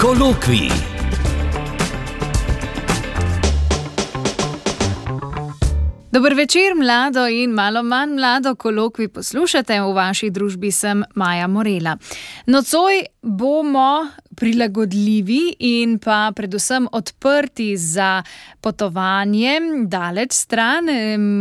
Kolokvij. Dober večer, mlado in malo manj mlado kolokvij poslušate. V vaši družbi sem Maja Morela. Nocoj bomo prilagodljivi in pa predvsem odprti za potovanje daleč stran.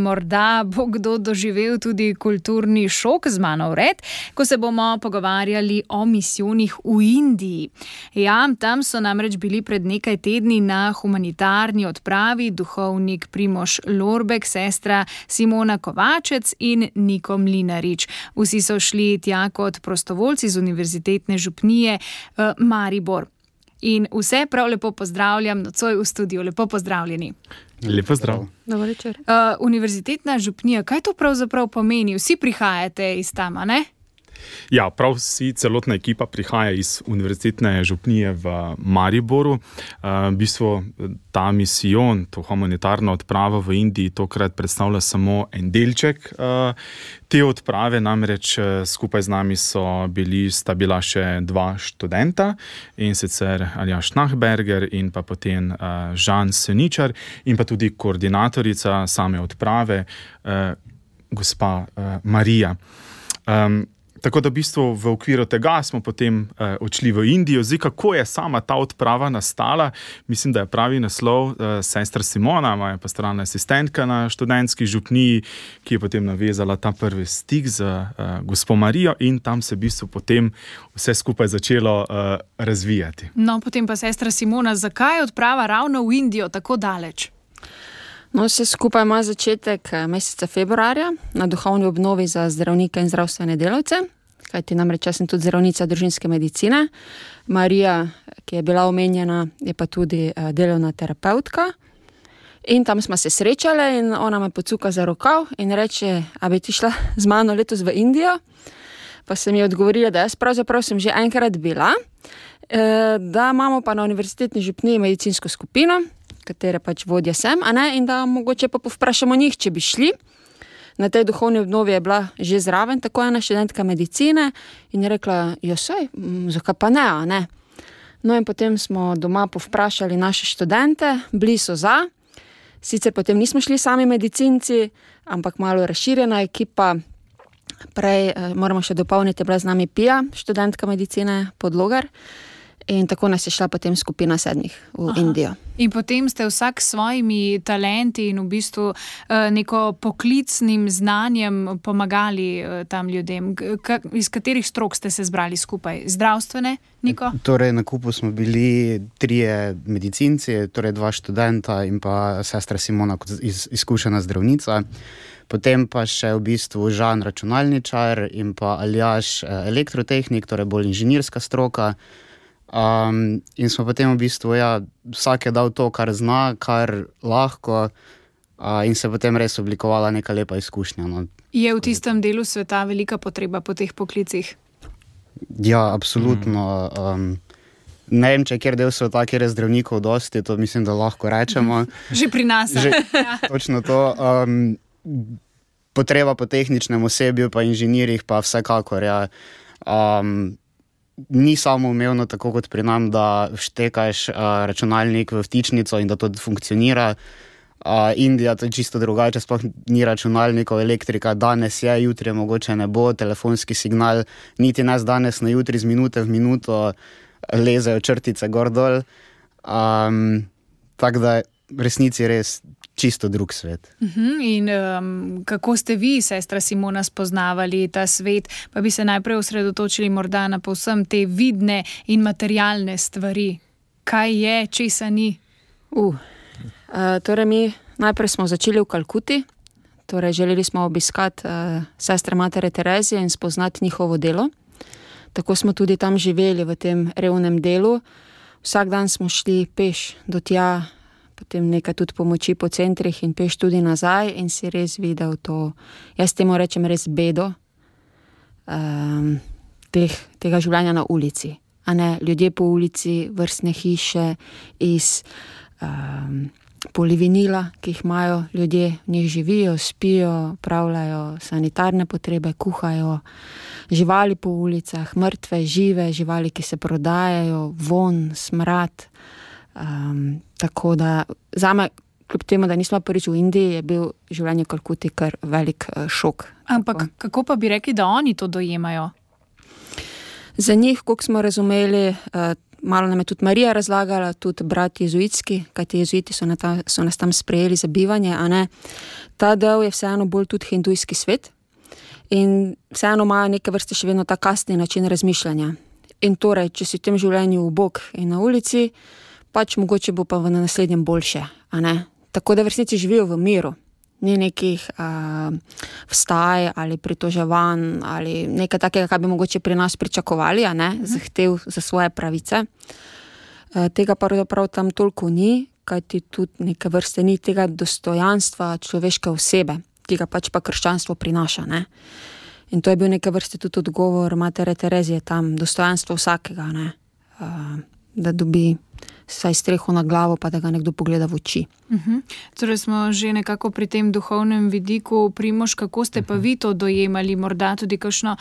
Morda bo kdo doživel tudi kulturni šok z mano vred, ko se bomo pogovarjali o misijonih v Indiji. Ja, tam so namreč bili pred nekaj tedni na humanitarni odpravi duhovnik Primož Lorbek, sestra Simona Kovačec in Niko Mlinarič. Vsi so šli tja kot prostovoljci z Univerzitetne župnije Maribor. In vse prav lepo pozdravljam nocoj v studiu. Lepo pozdravljeni. Lepo zdrav. Dobar večer. Univerzitetna župnija, kaj to pravzaprav pomeni? Vsi prihajate iz tam, a ne? Ja, prav vsi, celotna ekipa prihaja iz Univerzitetne župnije v Mariboru. V bistvu ta misijon, to humanitarno odpravo v Indiji tokrat predstavlja samo en delček te odprave, namreč skupaj z nami sta bila še dva študenta, in sicer Aljaž Nahberger in pa potem Žan Seničar in pa tudi koordinatorica same odprave, gospa Marija. Tako da v bistvu v okviru tega smo potem odšli v Indijo. Zdaj, kako je sama ta odprava nastala? Mislim, da je pravi naslov sestra Simona, moja pastoralna asistentka na študentski župniji, ki je potem navezala ta prvi stik z gospo Marijo, in tam se v bistvu potem vse skupaj začelo razvijati. No, potem pa sestra Simona, zakaj je odprava ravno v Indijo tako daleč? No, vse skupaj ima začetek meseca februarja na duhovni obnovi za zdravnike in zdravstvene delavce, kajti namreč jaz sem tudi zdravnica družinske medicine. Marija, ki je bila omenjena, je pa tudi delovna terapeutka. In tam smo se srečale in ona me pocuka za rokav in reče, a bi ti šla z mano letos v Indijo? Pa sem ji odgovorila, da jaz pravzaprav sem že enkrat bila, da imamo pa na Univerzitetni župniji medicinsko skupino, katere pač vodja sem, in da mogoče pa povprašamo njih, če bi šli. Na tej duhovni obnovi je bila že zraven tako ena študentka medicine in je rekla, saj, zakaj pa ne, a ne? No in potem smo doma povprašali naše študente, bili so za. Sicer potem nismo šli sami medicinci, ampak malo razširjena ekipa. Prej moramo še dopolniti, je bila z nami Pija, študentka medicine Podlogar. In tako nas je šla potem skupina 7 v Indijo. In potem ste vsak s svojimi talenti in v bistvu neko poklicnim znanjem pomagali tam ljudem. Iz katerih strok ste se zbrali skupaj? Zdravstvene, Niko? Torej, na kupu smo bili 3 medicinci, torej 2 študenta in pa sestra Simona kot izkušena zdravnica. Potem pa še v bistvu Žan računalničar in pa Aljaž elektrotehnik, torej bolj inženirska stroka. In smo potem v bistvu, vsak je dal to, kar zna, kar lahko, in se potem res oblikovala neka lepa izkušnja. No. Je v tistem delu sveta velika potreba po teh poklicih? Ja, absolutno. Ne vem, če kjer del sveta, kjer je zdravnikov dosti, to mislim, da lahko rečemo. Že pri nas. Točno to. Potreba po tehničnem osebju, pa inženirjih, pa vsekakor, ni samoumevno tako kot pri nam, da štekaš računalnik v vtičnico in da to funkcionira. Indija, to je čisto drugače, sploh ni računalnikov, elektrika danes je, jutri mogoče ne bo, telefonski signal, niti nas danes na jutri, z minute v minuto lezejo črtice gor dol. Tako da v resnici res čisto drug svet. In kako ste vi, sestra Simona, spoznavali ta svet? Pa bi se najprej osredotočili morda na povsem te vidne in materialne stvari. Kaj je, česa ni? Torej mi najprej smo začeli v Kalkuti. Torej želeli smo obiskati sestre matere Terezije in spoznati njihovo delo. Tako smo tudi tam živeli v tem revnem delu. Vsak dan smo šli peš do tja, potem nekaj tudi pomoči po centrih in peš tudi nazaj in si res videl to, jaz temu rečem res bedo tega življenja na ulici. Ljudje po ulici, vrstne hiše iz polivinila, ki jih imajo ljudje, v njih živijo, spijo, pravljajo sanitarne potrebe, kuhajo, živali po ulicah, mrtve, žive, živali, ki se prodajajo, von, smrad. Tako da zame, kljub temu, da nismo prvič v Indiji, je bil življenje v Kalkuti kar velik šok. Ampak kako pa bi rekli, da oni to dojemajo? Za njih, koliko smo razumeli, malo nam je tudi Marija razlagala, tudi brat jezuitski, kajti jezuiti so nas tam sprejeli za bivanje, a ne. Ta del je vseeno bolj tudi hindujski svet in vseeno imajo neke vrste še vedno ta kastni način razmišljanja. In torej, če si v tem življenju ubog in na ulici, pač mogoče bo pa v naslednjem boljše, a ne. Tako da v resnici živijo v miru. Ni nekih vstaj ali pritoževanj ali nekaj takega, kar bi mogoče pri nas pričakovali, a ne, zahtev za svoje pravice. Tega pravzaprav tam toliko ni, kajti tudi neke vrste ni tega dostojanstva človeške osebe, ki ga pač pa krščanstvo prinaša, ne. In to je bil neke vrste tudi odgovor matere Terezije tam, dostojanstvo vsakega, ne, da dobi saj streho na glavo, pa da ga nekdo pogleda v oči. Torej smo že nekako pri tem duhovnem vidiku. Primož, kako ste pa vi to dojemali? Morda tudi kakšno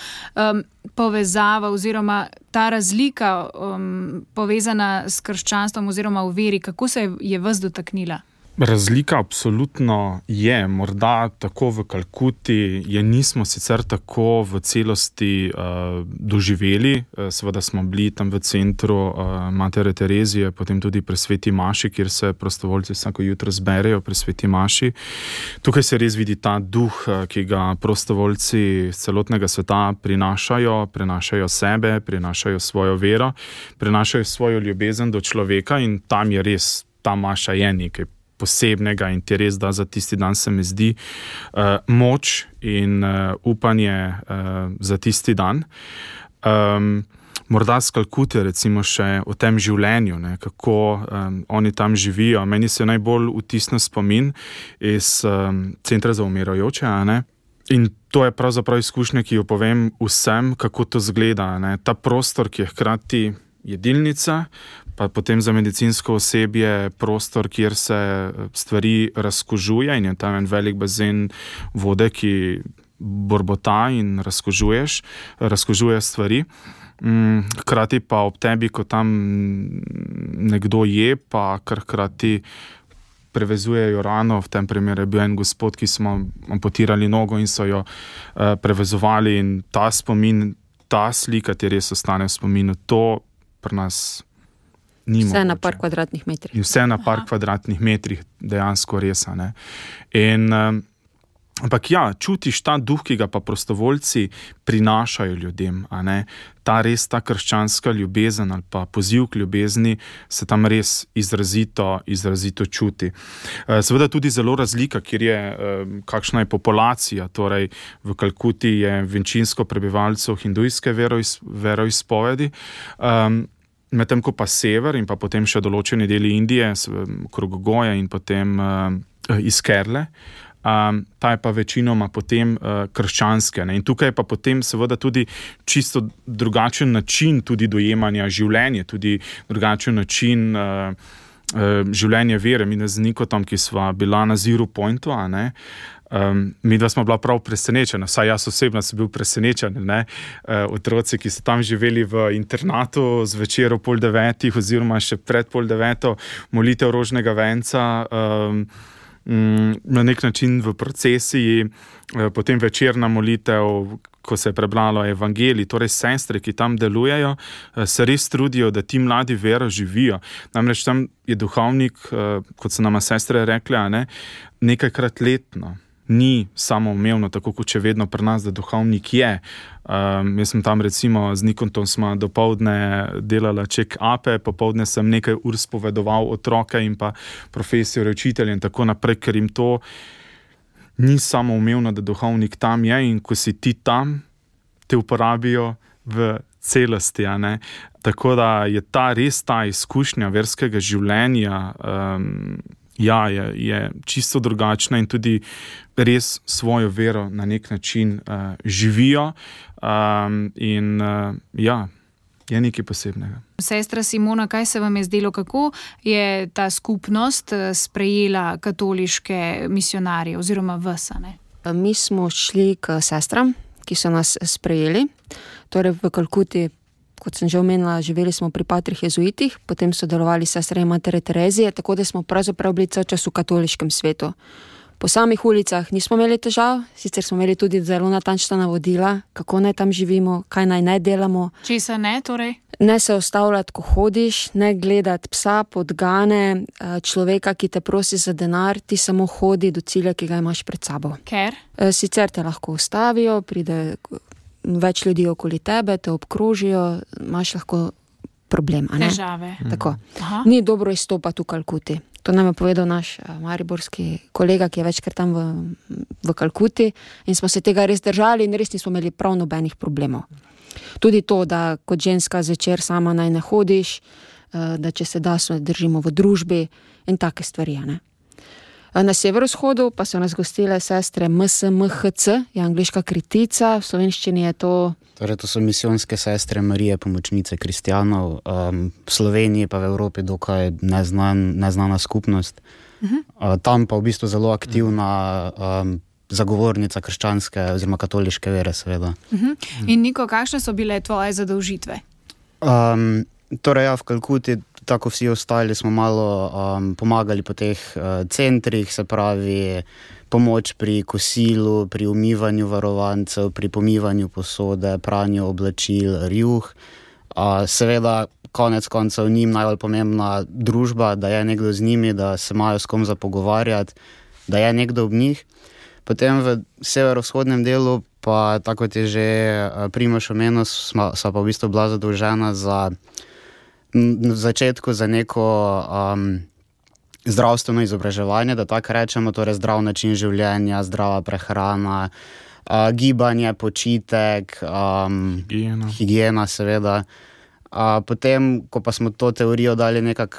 povezava oziroma ta razlika povezana s krščanstvom oziroma v veri, kako se je vas dotaknila? Razlika absolutno je, morda tako v Kalkuti je nismo sicer tako v celosti doživeli, seveda smo bili tam v centru matere Terezije, potem tudi pri Sveti Maši, kjer se prostovoljci vsako jutro zberejo pri Sveti Maši. Tukaj se res vidi ta duh, ki ga prostovoljci celotnega sveta prinašajo sebe, prinašajo svojo vero, prinašajo svojo ljubezen do človeka in tam je res, ta maša je nekaj posebnega in ti res da za tisti dan, se mi zdi, moč in upanje za tisti dan. Morda z Kalkute recimo še o tem življenju, ne, kako oni tam živijo. Meni se najbolj vtisne spomin iz centra za umirajoče, a ne. In to je pravzaprav izkušnja, ki jo povem vsem, kako to zgleda, ne. Ta prostor, ki je hkrati jedilnica, pa potem za medicinsko osebje prostor, kjer se stvari razkužuje in je tam en velik bazen vode, ki borbota in razkužuje stvari. Hkrati pa ob tebi, ko tam nekdo je, pa kar hkrati prevezujejo rano, v tem primeru je bil en gospod, ki smo amputirali nogo in so jo prevezovali in ta spomin, ta slika ti res ostane v spominu. To pri nas ni mogoče. Vse na par kvadratnih metrih. In vse na par kvadratnih metrih, dejansko res, ne. Ampak ja, čutiš ta duh, ki ga pa prostovoljci prinašajo ljudem, a ne. Ta krščanska ljubezen ali pa poziv k ljubezni se tam res izrazito čuti. Seveda tudi zelo razlika, kjer je, kakšna je populacija, torej v Kalkuti je večinsko prebivalcev hindujske veroizpovedi, medtem ko pa sever in pa potem še določeni deli Indije, okrog Goje in potem iz Kerle, ta je pa večinoma potem krščanske, ne? In tukaj je pa potem seveda tudi čisto drugačen način tudi dojemanja življenja, tudi drugačen način življenja vere. Mi z Nikotom, ki sva bila na Zero Pointu, a ne, midva smo bila prav presenečena, vsaj jaz osebno sem bil presenečen, ne, otroci, ki so tam živeli v internatu zvečer ob 8:30 oziroma še pred 8:30 molitev rožnega venca, na nek način v procesiji, potem večerna molitev, ko se je prebralo evangelij, torej sestre, ki tam delujejo, se res trudijo, da ti mladi vero živijo. Namreč tam je duhovnik, kot so nama sestre rekle, a ne, nekajkrat letno. Ni samoumevno, tako kot še vedno pri nas, da duhovnik je. Jaz sem tam recimo z Nikotom smo dopoldne delala check-upe, popoldne sem nekaj ur spovedoval otroke in pa profesorje, učitelje in tako naprej, ker jim to ni samoumevno, da duhovnik tam je in ko si ti tam, te uporabijo v celosti, a ne. Tako da je res ta izkušnja verskega življenja, je čisto drugačna in tudi res svojo vero na nek način živijo. je nekaj posebnega. Sestra Simona, kaj se vam je zdelo, kako je ta skupnost sprejela katoliške misionarje oziroma vas, ne? Mi smo šli k sestram, ki so nas sprejeli. Torej v Kalkuti, kot sem že omenila, živeli smo pri patrih jezuitih, potem so delovali sestre in matere Terezije, tako da smo pravzaprav bili cel čas v katoliškem svetu. Po samih ulicah nismo imeli težav, sicer smo imeli tudi zelo natančna navodila, kako naj tam živimo, kaj naj ne delamo. Česa ne, torej? Ne se ustavljati, ko hodiš, ne gledati psa, podgane, človeka, ki te prosi za denar, ti samo hodi do cilja, ki ga imaš pred sabo. Ker? Sicer te lahko ustavijo, pride več ljudi okoli tebe, te obkrožijo, imaš lahko problem, a ne? Težave. Tako. Aha. Ni dobro izstopati v Kalkuti. To nam je povedal naš mariborski kolega, ki je večkrat tam v Kalkuti, in smo se tega res držali in res nismo imeli prav nobenih problemov. Tudi to, da kot ženska zvečer sama naj ne hodiš, da če se da, se držimo v družbi in take stvari, ne? Na severovzhodu pa so nas gostile sestre MSMHC, je angleška kritica, v slovenščini je to... Torej, to so misijonske sestre Marije, pomočnice kristjanov, v Sloveniji pa v Evropi dokaj neznana skupnost. Tam pa v bistvu zelo aktivna zagovornica krščanske oziroma katoliške vere, seveda. In Niko, kakšne so bile tvoje zadolžitve? Torej, ja, v Kalkuti, tako vsi ostali, smo malo pomagali po teh centrih, se pravi pomoč pri kosilu, pri umivanju varovancev, pri pomivanju posode, pranju oblačil, rjuh. Seveda, konec koncev njim najbolj pomembna družba, da je nekdo z njimi, da se imajo s kom za pogovarjati, da je nekdo ob njih. Potem v severovzhodnem delu pa, tako kot je že Primož omenil, sva pa v bistvu bila zadolžena v začetku za neko zdravstveno izobraževanje, da tako rečemo, torej zdrav način življenja, zdrava prehrana, gibanje, počitek, higiena seveda. Potem, ko pa smo to teorijo dali nekako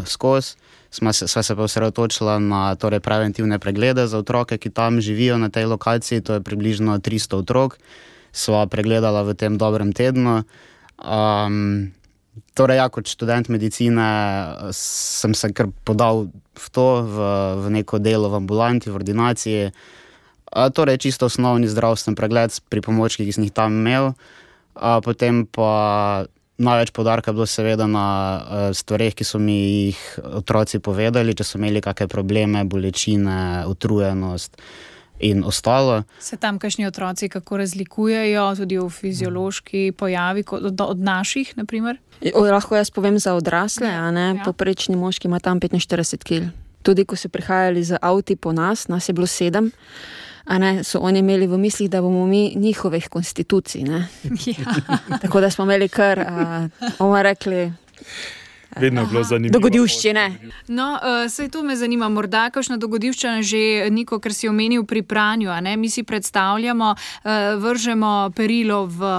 skozi, sva se pa osredotočila na torej preventivne preglede za otroke, ki tam živijo na tej lokaciji, to je približno 300 otrok, sva pregledala v tem dobrem tednu. Torej, ja, kot študent medicine sem se kar podal v to, v neko delo v ambulanti, v ordinaciji. Torej, čisto osnovni zdravstven pregled s pripomočki, ki sem jih tam imel. Potem pa največ poudarka bilo seveda na stvareh, ki so mi jih otroci povedali, če so imeli kakšne probleme, bolečine, utrujenost in ostalo. Se tam kakšni otroci kako razlikujejo, tudi v fiziološki pojavi od naših, na primer? Lahko jaz povem za odrasle, a ne? Ja. Poprečni moški ima tam 45 kg. Tudi ko so prihajali z avti po nas je bilo 7, a ne, so oni imeli v mislih, da bomo mi njihovih konstitucij, ne? Ja. Tako da smo imeli kar, bomo rekli, vedno je bilo zanimivo. Dogodivščine. No, saj tu me zanima, morda kakšna dogodivščina že, Niko, ker si omenil pri pranju, a ne? Mi si predstavljamo, vržemo perilo v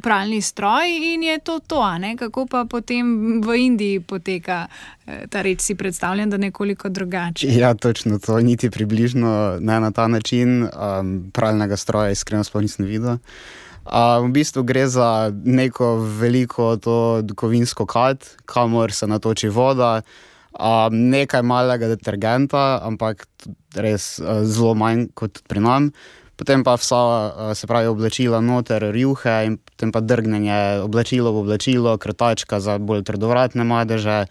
pralni stroj in je to, a ne? Kako pa potem v Indiji poteka ta reč, si predstavljam, da nekoliko drugače? Ja, točno to, niti približno ne na ta način. Pralnega stroja iskreno sploh nisem videl. V bistvu gre za neko veliko to kovinsko kad, kamor se natoči voda, nekaj malega detergenta, ampak res zelo manj kot pri nam. Potem pa vsa, se pravi, oblačila noter, rjuhe in potem pa drgnenje oblačilo v oblačilo, krtačka za bolj trdovratne madeže.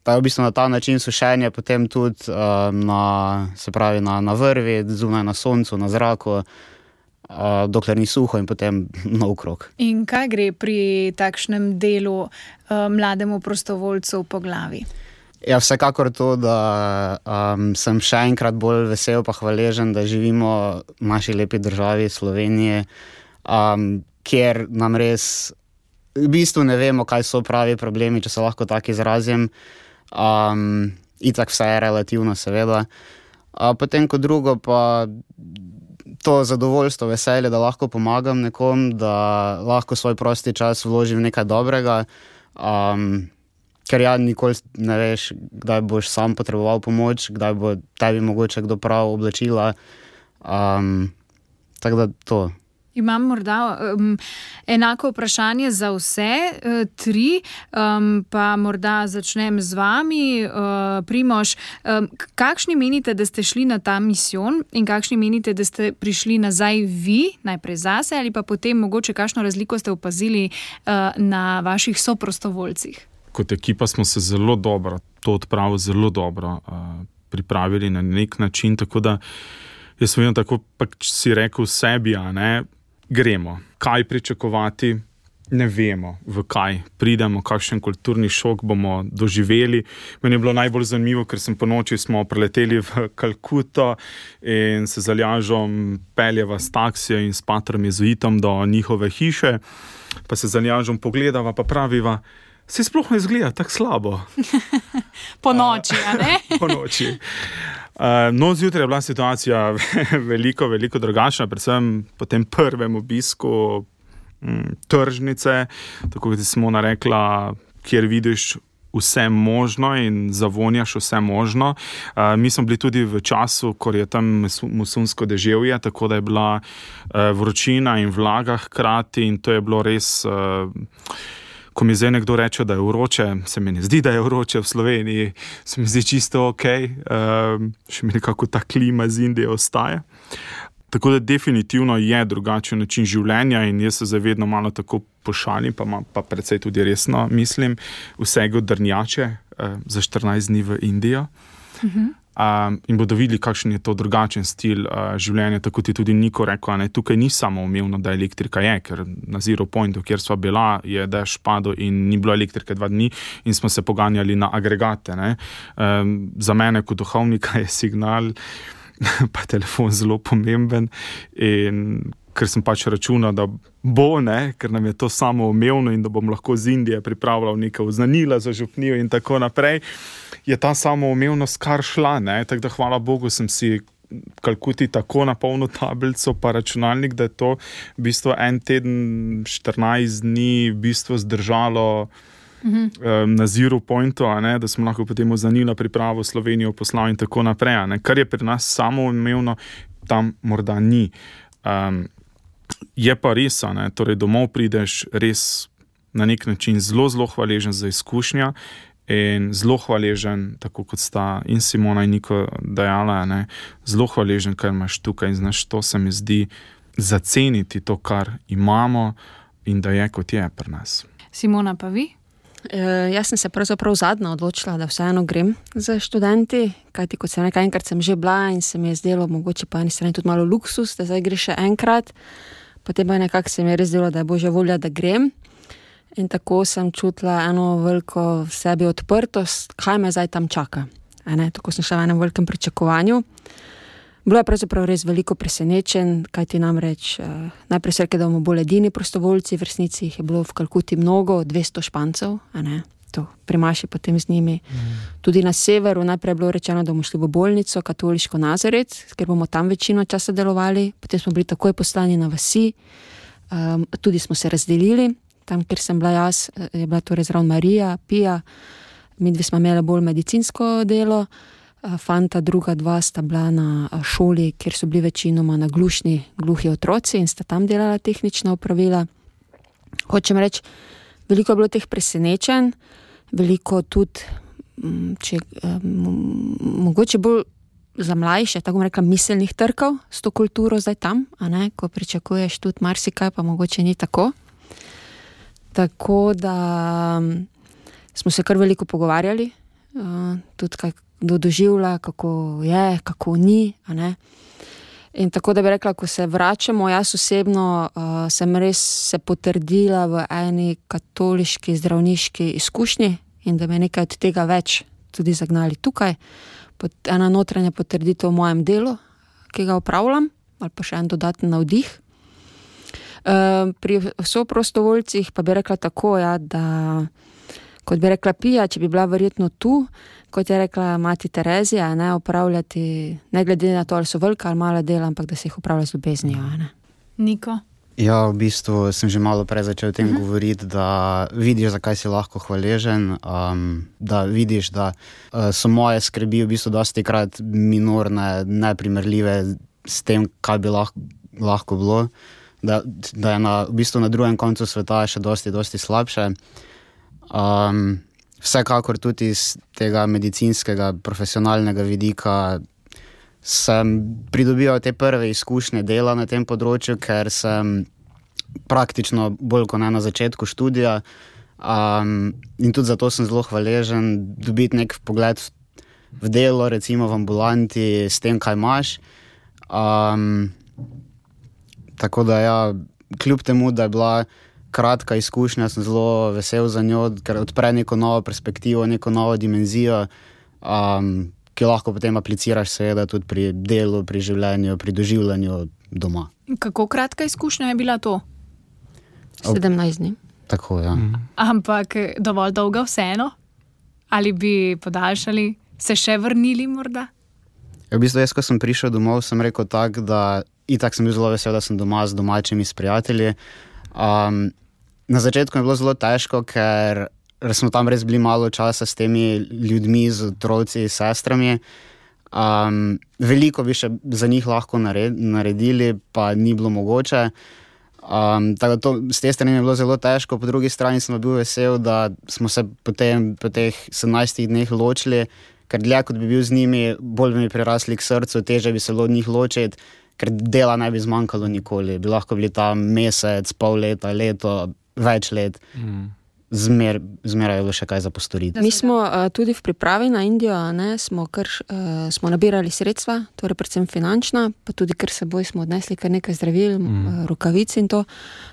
Ta v bistvu na ta način sušenje potem tudi na vrvi, zunaj na soncu, na zraku, dokler ni suho in potem nov krog. In kaj gre pri takšnem delu mlademu prostovoljcu po glavi? Ja, vsekakor to, da sem še enkrat bolj vesel pa hvaležen, da živimo v naši lepi državi Sloveniji, kjer nam res v bistvu ne vemo, kaj so pravi problemi, če se lahko tako izrazim. Itak vse je relativno, seveda. Potem kot drugo pa to zadovoljstvo, veselje, da lahko pomagam nekom, da lahko svoj prosti čas vložim v nekaj dobrega, ker ja, nikoli ne veš, kdaj boš sam potreboval pomoč, kdaj bo tebi mogoče kdo prav oblačila. Tako da to. Imam morda enako vprašanje za vse tri, pa morda začnem z vami, Primož. Kakšni menite, da ste šli na ta misijon in kakšni menite, da ste prišli nazaj vi, najprej zase ali pa potem mogoče kakšno razliko ste opazili na vaših soprostovoljcih? Kot ekipa smo se zelo dobro, to odpravo zelo dobro pripravili na nek način, tako da jaz sem vedno tako, pa si rekel sebi, gremo. Kaj pričakovati, ne vemo, v kaj pridemo, kakšen kulturni šok bomo doživeli. Meni je bilo najbolj zanimivo, ker sem po noči smo preleteli v Kalkuto in se z Aljažom peljeva s taksijo in s patrom jezuitom do njihove hiše, pa se z Aljažom pogledava, pa praviva, se sploh ne izgleda tako slabo. Po noči, Po noči. No, zjutraj je bila situacija veliko drugačna, predvsem po tem prvem obisku tržnice, tako kot je Simona rekla, kjer vidiš vse možno in zavonjaš vse možno. Mi smo bili tudi v času, ko je tam monsunsko deževje, tako da je bila vročina in vlaga hkrati in to je bilo res... Ko mi zdaj nekdo reče, da je vroče, se mi ne zdi, da je vroče v Sloveniji, se mi zdi čisto ok, še mi nekako ta klima z Indije ostaja. Tako da definitivno je drugačen način življenja in jaz se zavedno malo tako pošalim, pa precej tudi resno mislim, vsega odrnjače za 14 dni v Indijo. In bodo videli, kakšen je to drugačen stil življenja, tako ti tudi Niko rekel, tukaj ni samo umevno, da elektrika je, ker na Zero Pointu, kjer sva bila, je dež padel in ni bilo elektrike 2 dni in smo se poganjali na agregate. Za mene kot duhovnika je signal, pa telefon zelo pomemben in ker sem pač računal, da bo, ker nam je to samo umevno in da bom lahko z Indije pripravljal neka oznanila za župnijo in tako naprej, je ta samoumevnost kar šla, tako da hvala Bogu sem si Kalkuti tako napolnil tablico pa računalnik, da je to v bistvu en teden, 14 dni v bistvu zdržalo na Zero Pointu, da smo lahko potem oznanila pripravo Slovenijo poslal in tako naprej. Kar je pri nas samoumevno, tam morda ni. Je pa res, torej domov prideš res na nek način zelo hvaležen za izkušnja in zelo hvaležen, tako kot sta in Simona in Niko dejala, zelo hvaležen, kar imaš tukaj in znaš, to se mi zdi zaceniti to, kar imamo in da je kot je pri nas. Simona, pa vi? Jaz sem se pravzaprav zadnja odločila, da vseeno grem za študenti, kajti kot sem nekaj enkrat sem že bila in se mi je zdelo mogoče pa eni strani tudi malo luksus, da zdaj greš še enkrat, potem pa nekako se mi je res zdelo, da je božja volja, da grem. In tako sem čutila eno veliko v sebi odprtost, kaj me zdaj tam čaka. Tako sem šla v enem velikem pričakovanju. Bilo je pravzaprav res veliko presenečen, kajti namreč najprej se rekel, da bomo bolj edini prostovoljci, v resnici jih je bilo v Kalkuti mnogo, 200 Špancev, to primaši potem z njimi. Tudi na severu najprej je bilo rečeno, da bomo šli v bolnico, katoliško Nazaret, ker bomo tam večino časa delovali, potem smo bili takoj poslani na vasi, tudi smo se razdelili, tam, kjer sem bila jaz, je bila torej zraven Marija, Pija, midve smo imeli bolj medicinsko delo, fanta druga 2 sta bila na šoli, kjer so bili večinoma gluhi otroci in sta tam delala tehnična opravila. Hočem reči, veliko je bilo teh presenečenj, veliko tudi, mogoče bolj za mlajše, tako bom rekla, miselnih trkov s to kulturo zdaj tam, ko pričakuješ tudi marsikaj, pa mogoče ni tako. Tako da smo se kar veliko pogovarjali, tudi kdo doživlja, kako je, kako ni. In tako da bi rekla, ko se vračamo, jaz osebno sem res se potrdila v eni katoliški zdravniški izkušnji in da me nekaj od tega več tudi zagnali tukaj. Ena notranja potrditev v mojem delu, ki ga opravljam, ali pa še en dodaten navdih. Pri soprostovoljcih pa bi rekla tako, da kot bi rekla Pija, če bi bila verjetno tu, kot je rekla mati Terezija, opravljati, ne glede na to, ali so velika ali mala dela, ampak da se jih opravlja z ljubeznijo. Niko? Ja, v bistvu sem že malo prej začel o tem govoriti, da vidiš, zakaj si lahko hvaležen, da vidiš, da so moje skrbi v bistvu dostikrat minorne, neprimerljive s tem, kaj bi lahko bilo. da je v bistvu na drugem koncu sveta še dosti slabše. Vsekakor tudi iz tega medicinskega, profesionalnega vidika sem pridobival te prve izkušnje dela na tem področju, ker sem praktično bolj kot ne na začetku študija in tudi zato sem zelo hvaležen dobiti nek pogled v delo, recimo v ambulanti, s tem, kaj imaš. Tako da ja, kljub temu, da je bila kratka izkušnja, sem zelo vesel za njo, ker odpre neko novo perspektivo, neko novo dimenzijo, ki lahko potem apliciraš seveda tudi pri delu, pri življenju, pri doživljanju doma. Kako kratka izkušnja je bila to? 17 dni. Tako, ja. Ampak dovolj dolga vseeno? Ali bi podaljšali, se še vrnili morda? V bistvu jaz, ko sem prišel domov, sem rekel tako, da itak sem bil zelo vesel, da sem doma z domačimi, s prijatelji. Na začetku je bilo zelo težko, ker smo tam res bili malo časa s temi ljudmi, z otroci, s sestrami. Veliko bi še za njih lahko naredili, pa ni bilo mogoče. Tako da z te strani je bilo zelo težko, po drugi strani sem bil vesel, da smo se potem po teh 17 dneh ločili, ker dlje kot bi bil z njimi, bolj bi mi prirasli k srcu, teže bi se bilo od njih ločiti, ker dela ne bi zmanjkalo nikoli. Bi lahko bili tam mesec, pol leta, leto, več let. Zmeraj je bilo še kaj za postoriti. Mi smo tudi v pripravi na Indijo, smo nabirali sredstva, torej predvsem finančna, pa tudi ker seboj smo odnesli kar nekaj zdravil, rokavic in to.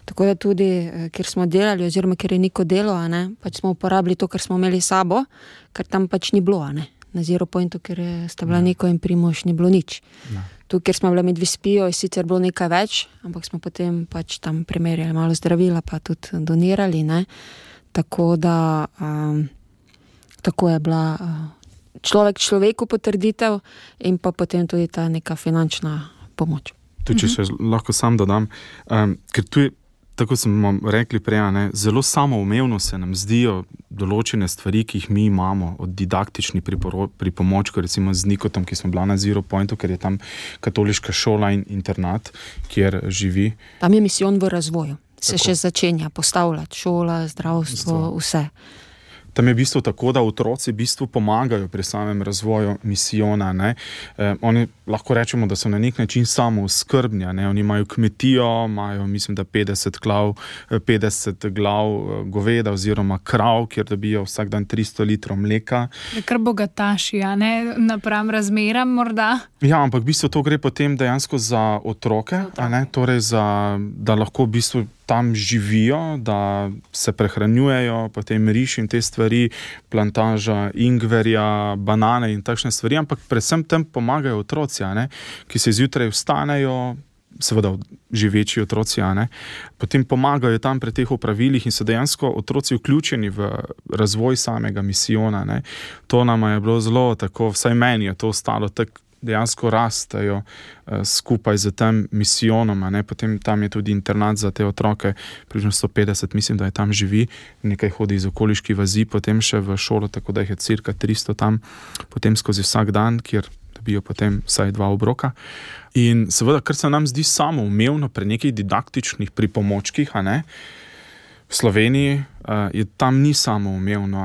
Tako da tudi, ker smo delali, oziroma ker je Niko delo, pač smo uporabili to, kar smo imeli sabo, ker tam pač ni bilo, na Zero Pointu, ker sta bila Niko in Primož, ni bilo nič. Tu, kjer smo bili med Vispijo, je sicer bilo nekaj več, ampak smo potem pač tam primerjali malo zdravila, pa tudi donirali, Tako da tako je bila človeku potrditev in pa potem tudi ta neka finančna pomoč. Tudi, če še lahko sam dodam, ker tu je, tako smo rekli prej, zelo samoumevno se nam zdijo določene stvari, ki jih mi imamo od didaktičnih pripomočkov, recimo z Nikotom, ki smo bila na Zero Pointu, ker je tam katoliška šola in internat, kjer živi. Tam je misijon v razvoju. Se še začenja postavljati, šola, zdravstvo, vse. Tam je v bistvu tako, da otroci v bistvu pomagajo pri samem razvoju misijona. Oni lahko rečemo, da so na nek način samooskrbni. Oni imajo kmetijo, imajo mislim, da 50 glav goveda oziroma krav, kjer dobijo vsak dan 300 litrov mleka. Kar bogataši, napram razmeram morda? Ja, ampak v bistvu to gre potem dejansko za otroke, torej da lahko v bistvu tam živijo, da se prehranjujejo, potem riž in te stvari, plantaža ingverja, banane in takšne stvari, ampak predvsem tem pomagajo otroci, ki se zjutraj vstanejo, seveda živeči otroci, potem pomagajo tam pri teh opravilih in so dejansko otroci vključeni v razvoj samega misijona. To nam je bilo zelo tako, vsaj meni je to ostalo tako, dejansko rastejo skupaj z tem misijonom, potem tam je tudi internat za te otroke, približno 150, mislim, da je tam živi, nekaj hodi iz okoliških vasi, potem še v šolo, tako da jih je cirka 300 tam, potem skozi vsak dan, kjer dobijo potem vsaj 2 obroka. In seveda, kar se nam zdi samoumevno pri nekih didaktičnih pripomočkih, v Sloveniji tam ni samoumevno,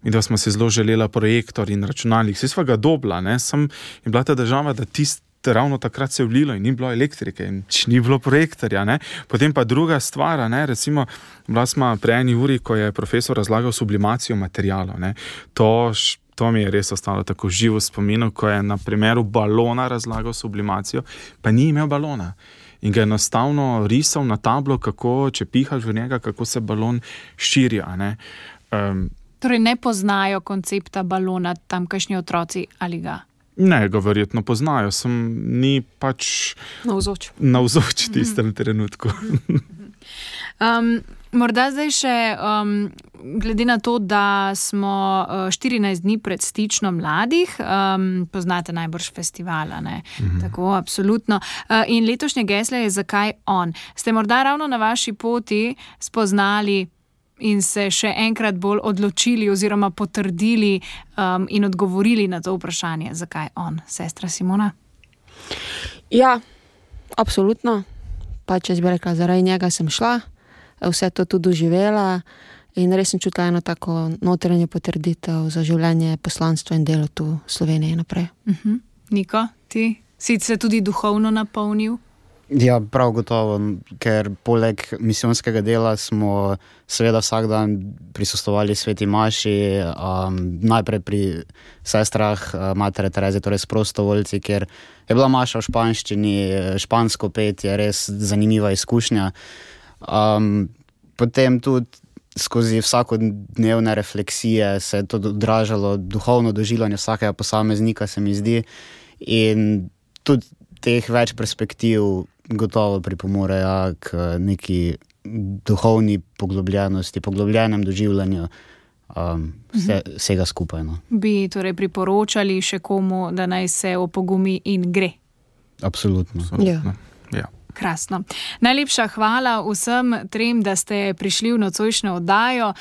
in da smo si zelo želela projektor in računalnik. Vsi sva ga dobila, sem je bila ta država, da ravno takrat se je vlilo in ni bilo elektrike in ni bilo projektorja. Potem pa druga stvar, recimo, bila smo pri eni uri, ko je profesor razlagal sublimacijo materijalov. To mi je res ostalo tako živo spominu, ko je na primeru balona razlagal sublimacijo, pa ni imel balona. In ga je enostavno risal na tablo, kako, če pihaš v njega, kako se balon širi. Torej ne poznajo koncepta balona tamkajšnji otroci ali ga? Ne, ga verjetno poznajo, ni pač navzoč v tistem trenutku. Morda zdaj še, glede na to, da smo 14 dni pred Stično mladih, poznate najbrž festivala, Tako, absolutno. In letošnje geslo je Zakaj on? Ste morda ravno na vaši poti spoznali in se še enkrat bolj odločili oziroma potrdili in odgovorili na to vprašanje, zakaj on, sestra Simona? Ja, absolutno. pač jaz bi rekla, zaradi njega sem šla, vse to tudi doživela in res sem čutila eno tako notranje potrditev za življenje, poslanstvo in delo tu v Sloveniji naprej. Niko, ti si se tudi duhovno napolnil? Ja, prav gotovo, ker poleg misijonskega dela smo seveda vsak dan prisostvovali sveti maši, najprej pri sestrah Matere Terezije, torej s prostovoljci, ker je bila maša v španščini, špansko petje, res zanimiva izkušnja. Potem tudi skozi vsakodnevne refleksije se je to odražalo duhovno doživljanje vsakega posameznika, se mi zdi, in tudi teh več perspektiv gotovo pripomorejo k neki duhovni poglobljenosti, poglobljenem doživljanju vsega skupaj. No. Bi torej priporočali še komu, da naj se opogumi in gre? Absolutno. Ja. Krasno. Najlepša hvala vsem trem, da ste prišli v nocojšnjo oddajo.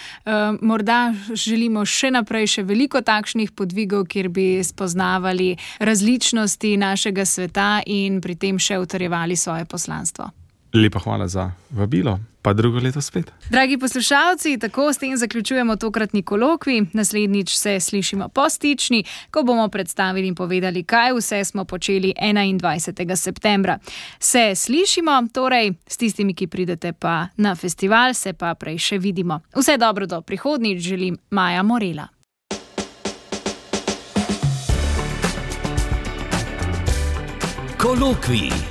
Morda želimo še naprej še veliko takšnih podvigov, kjer bi spoznavali različnosti našega sveta in pri tem še utrjevali svoje poslanstvo. Lepa hvala za vabilo, pa drugo leto spet. Dragi poslušalci, tako s tem zaključujemo tokratni kolokvij. Naslednjič se slišimo po stični, ko bomo predstavili in povedali, kaj vse smo počeli 21. septembra. Se slišimo, torej s tistimi, ki pridete pa na festival, se pa prej še vidimo. Vse dobro do prihodnjič želim, Maja Morela. Kolokvij.